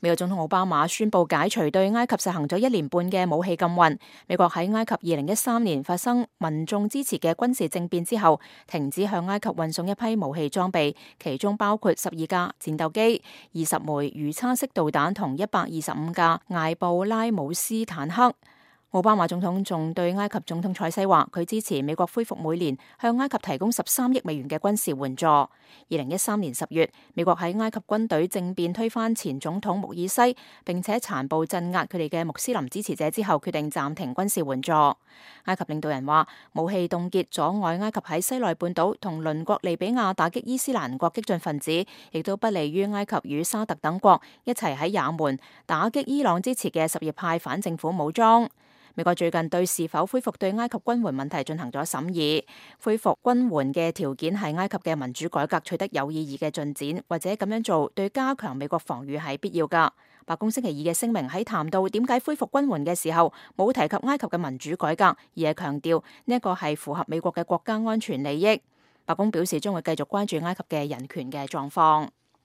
美國總統奧巴馬宣布解除對埃及實行咗1年半嘅武器禁運。美國喺埃及2013年發生民眾支持嘅軍事政變之後，停止向埃及運送一批武器裝備，其中包括12架戰鬥機、20枚魚叉式導彈同125架艾布拉姆斯坦克。奧巴馬總統仲對埃及總統塞西話，佢支持美國恢復每年向埃及提供13億美元嘅軍事援助。2013年10月，美國喺埃及軍隊政變推翻前總統穆爾西，並且殘暴鎮壓佢哋嘅穆斯林支持者之後，決定暫停軍事援助。埃及領導人話，武器凍結阻礙埃及喺西奈半島同鄰國利比亞打擊伊斯蘭國激進分子，亦都不利於埃及與沙特等國一齊喺也門打擊伊朗支持嘅什葉派反政府武裝。美國最近對是否恢復對埃及軍援問題進行咗審議，恢復軍援嘅條件係埃及嘅民主改革取得有意義嘅進展，或者咁樣做對加強美國防禦係必要㗎。白宮星期二嘅聲明喺談到點解恢復軍援嘅時候，冇提及埃及嘅民主改革，而係強調呢一個係符合美國嘅國家安全利益。白宮表示將會繼續關注埃及嘅人權嘅狀況。